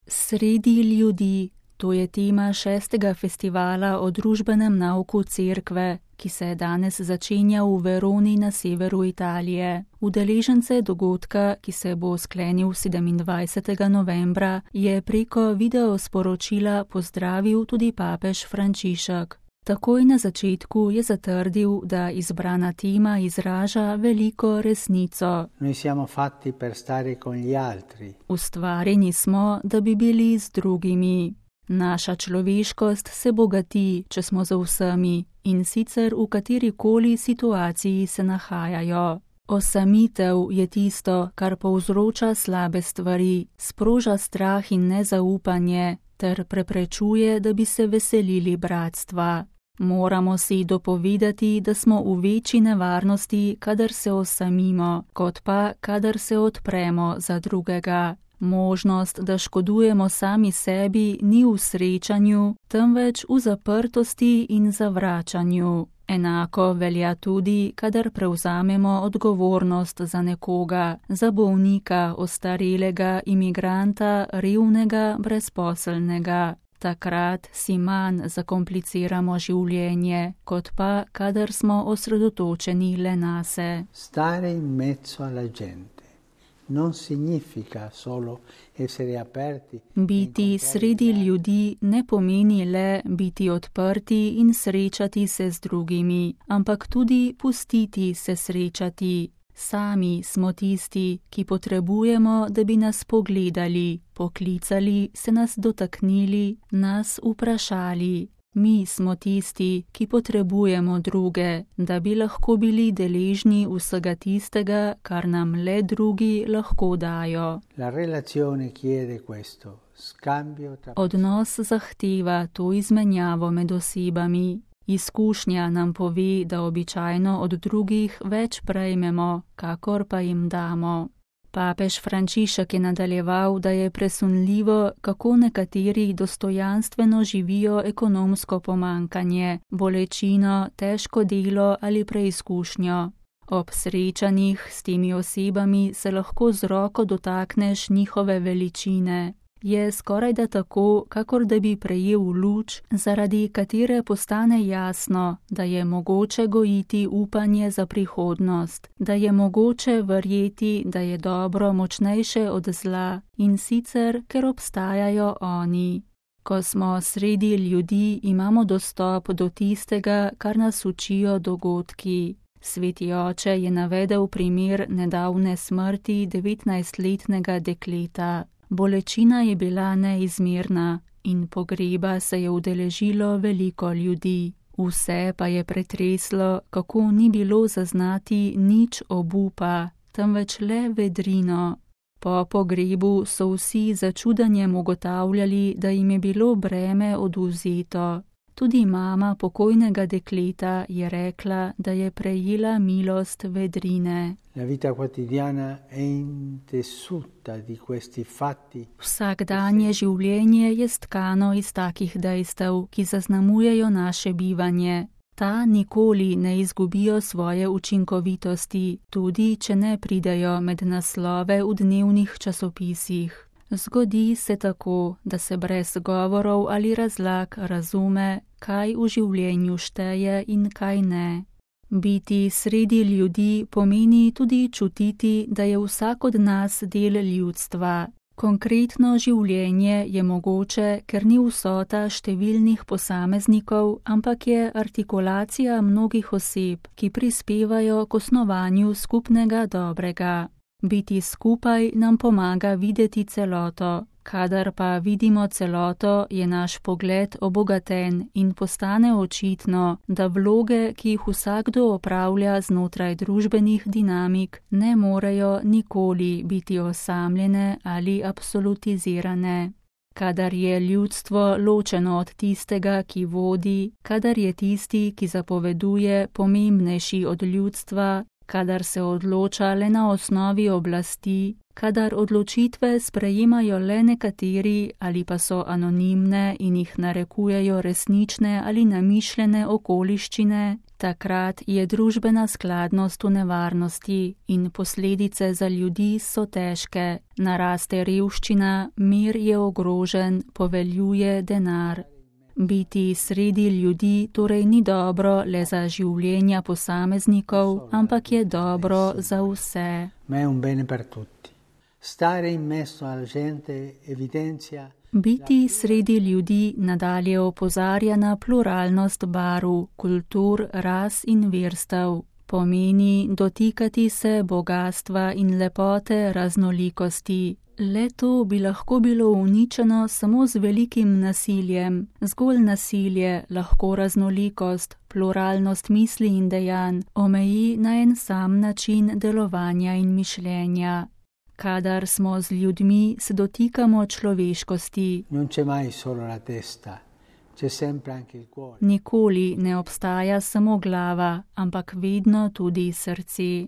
Sredi ljudi, to je tema 6. festivala o družbenem nauku cerkve, ki se danes začenja v Veroni na severu Italije. Udeležence dogodka, ki se bo sklenil 27. novembra, je preko videosporočila pozdravil tudi papež Frančišek. Takoj na začetku je zatrdil, da izbrana tema izraža veliko resnico. Noi siamo fatti per stare con gli altri. Ustvarjeni smo, da bi bili z drugimi. Naša človeškost se bogati, če smo za vsemi, in sicer v katerikoli situaciji se nahajajo. Osamitev je tisto, kar povzroča slabe stvari, sproža strah in nezaupanje, ter preprečuje, da bi se veselili bratstva. Moramo si dopovedati, da smo v večji nevarnosti, kadar se osamimo, kot pa, kadar se odpremo za drugega. Možnost, da škodujemo sami sebi, ni v srečanju, temveč v zaprtosti in zavračanju. Enako velja tudi, kadar prevzamemo odgovornost za nekoga, za bolnika, ostarelega, imigranta, revnega, brezposelnega. Takrat si manj zakompliciramo življenje, kot pa, kadar smo osredotočeni le nase. Stare in mezzo alla gente non significa solo essere aperti. Biti sredi ljudi ne pomeni le biti odprti in srečati se z drugimi, ampak tudi pustiti se srečati. Sami smo tisti, ki potrebujemo, da bi nas pogledali, poklicali, se nas dotaknili, nas vprašali. Mi smo tisti, ki potrebujemo druge, da bi lahko bili deležni vsega tistega, kar nam le drugi lahko dajo. La relazione chiede questo, scambio tra... Odnos zahteva to izmenjavo med osebami. Izkušnja nam pove, da običajno od drugih več prejmemo, kakor pa jim damo. Papež Frančišek je nadaljeval, da je presunljivo, kako nekateri dostojanstveno živijo ekonomsko pomanjkanje, bolečino, težko delo ali preizkušnjo. Ob srečanjih s temi osebami se lahko z roko dotakneš njihove veličine. Je skorajda tako, kakor da bi prejel luč, zaradi katere postane jasno, da je mogoče gojiti upanje za prihodnost, da je mogoče verjeti, da je dobro močnejše od zla, in sicer, ker obstajajo oni. Ko smo sredi ljudi, imamo dostop do tistega, kar nas učijo dogodki. Sveti oče je navedel primer nedavne smrti 19-letnega dekleta. Bolečina je bila neizmerna in pogreba se je udeležilo veliko ljudi. Vse pa je pretreslo, kako ni bilo zaznati nič obupa, temveč le vedrino. Po pogrebu so vsi začudenjem ugotavljali, da jim je bilo breme odvzeto. Tudi mama pokojnega dekleta je rekla, da je prejela milost vedrine. La vita quotidiana è intessuta di questi fatti. Vsakdanje življenje je stkano iz takih dejstev, ki zaznamujejo naše bivanje. Ta nikoli ne izgubijo svoje učinkovitosti, tudi če ne pridejo med naslove v dnevnih časopisih. Zgodi se tako, da se brez govorov ali razlag razume, kaj v življenju šteje in kaj ne. Biti sredi ljudi pomeni tudi čutiti, da je vsak od nas del ljudstva. Konkretno življenje je mogoče, ker ni vsota številnih posameznikov, ampak je artikulacija mnogih oseb, ki prispevajo k osnovanju skupnega dobrega. Biti skupaj nam pomaga videti celoto. Kadar pa vidimo celoto, je naš pogled obogaten in postane očitno, da vloge, ki jih vsakdo opravlja znotraj družbenih dinamik, ne morejo nikoli biti osamljene ali absolutizirane. Kadar je ljudstvo ločeno od tistega, ki vodi, kadar je tisti, ki zapoveduje, pomembnejši od ljudstva, kadar se odloča le na osnovi oblasti, kadar odločitve sprejemajo le nekateri ali pa so anonimne in jih narekujejo resnične ali namišljene okoliščine, Takrat je družbena skladnost v nevarnosti in posledice za ljudi so težke. Naraste revščina, mir je ogrožen, poveljuje denar. Biti sredi ljudi torej ni dobro le za življenja posameznikov, ampak je dobro za vse. Ma è un bene per tutti. Stare in mezzo alla gente evidenzia. Biti sredi ljudi nadalje opozarja na pluralnost barv, kultur, ras in verstev. Pomeni dotikati se bogastva in lepote raznolikosti. Le to bi lahko bilo uničeno samo z velikim nasiljem. Zgolj nasilje lahko raznolikost, pluralnost misli in dejanj omeji na en sam način delovanja in mišljenja. Kadar smo z ljudmi, se dotikamo človeškosti. Non c'è mai solo la testa, c'è sempre anche il cuore. Nikoli ne obstaja samo glava, ampak vedno tudi srce.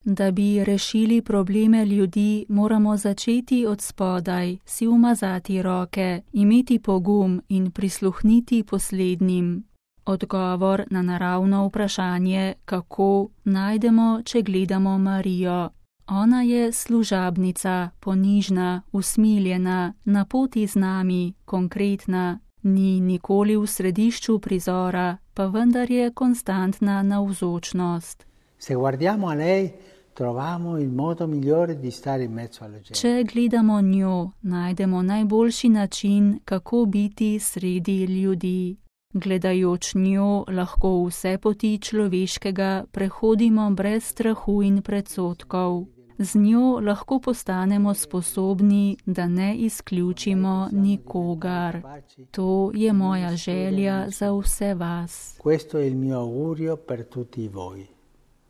Da bi rešili probleme ljudi, moramo začeti od spodaj, si umazati roke, imeti pogum in prisluhniti poslednjim. Odgovor na naravno vprašanje, kako, najdemo, če gledamo Marijo. Ona je služabnica, ponižna, usmiljena, na poti z nami, konkretna. Ni nikoli v središču prizora, pa vendar je konstantna navzočnost. Se guardiamo a lei, troviamo il modo migliore di stare in mezzo alla gente. Če gledamo njo, najdemo najboljši način, kako biti sredi ljudi. Gledajoč njo lahko vse poti človeškega prehodimo brez strahu in predsodkov. Z njo lahko postanemo sposobni, da ne izključimo nikogar. To je moja želja za vse vas. Questo è il mio augurio per tutti voi.